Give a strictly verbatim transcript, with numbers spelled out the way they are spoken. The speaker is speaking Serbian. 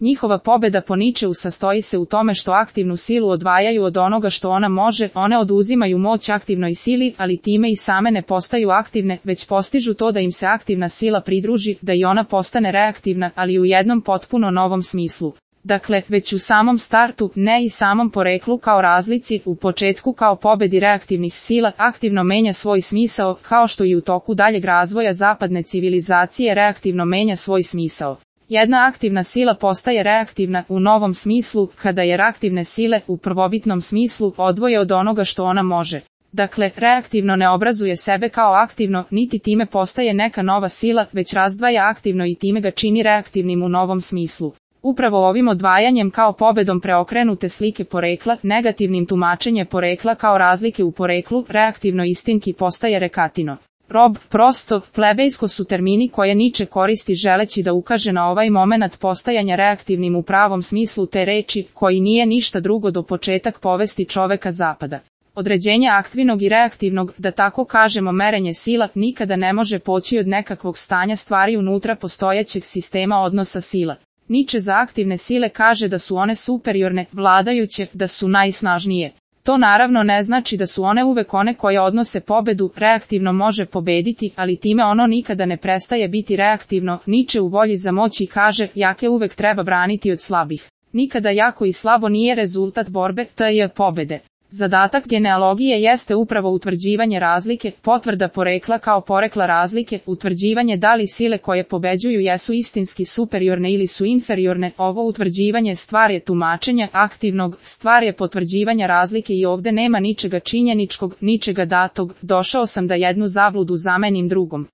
Njihova pobeda po Ničeu sastoji se u tome što aktivnu silu odvajaju od onoga što ona može, one oduzimaju moć aktivnoj sili, ali time i same ne postaju aktivne, već postižu to da im se aktivna sila pridruži, da i ona postane reaktivna, ali u jednom potpuno novom smislu. Dakle, već u samom startu, ne i samom poreklu kao razlici, u početku kao pobedi reaktivnih sila, aktivno menja svoj smisao, kao što i u toku daljeg razvoja zapadne civilizacije reaktivno menja svoj smisao. Jedna aktivna sila postaje reaktivna u novom smislu, kada je reaktivne sile, u prvobitnom smislu, odvoje od onoga što ona može. Dakle, reaktivno ne obrazuje sebe kao aktivno, niti time postaje neka nova sila, već razdvaja aktivno i time ga čini reaktivnim u novom smislu. Upravo ovim odvajanjem kao pobedom preokrenute slike porekla, negativnim tumačenje porekla kao razlike u poreklu, reaktivno istinki postaje rekatino. Rob, prosto, plebejsko su termini koje Niče koristi želeći da ukaže na ovaj momenat postajanja reaktivnim u pravom smislu te reči, koji nije ništa drugo do početak povesti čoveka zapada. Određenje aktivnog i reaktivnog, da tako kažemo merenje sila, nikada ne može poći od nekakvog stanja stvari unutra postojećeg sistema odnosa sila. Niče za aktivne sile kaže da su one superiorne, vladajuće, da su najsnažnije. To naravno ne znači da su one uvek one koje odnose pobedu, reaktivno može pobediti, ali time ono nikada ne prestaje biti reaktivno. Niče u volji za moći kaže, jake uvek treba braniti od slabih. Nikada jako i slabo nije rezultat borbe, to je pobede. Zadatak genealogije jeste upravo utvrđivanje razlike, potvrda porekla kao porekla razlike, utvrđivanje da li sile koje pobeđuju jesu istinski superiorne ili su inferiorne. Ovo utvrđivanje stvar je tumačenja aktivnog, stvar je potvrđivanja razlike i ovde nema ničega činjeničkog, ničega datog. Došao sam da jednu zabludu zamenim drugom.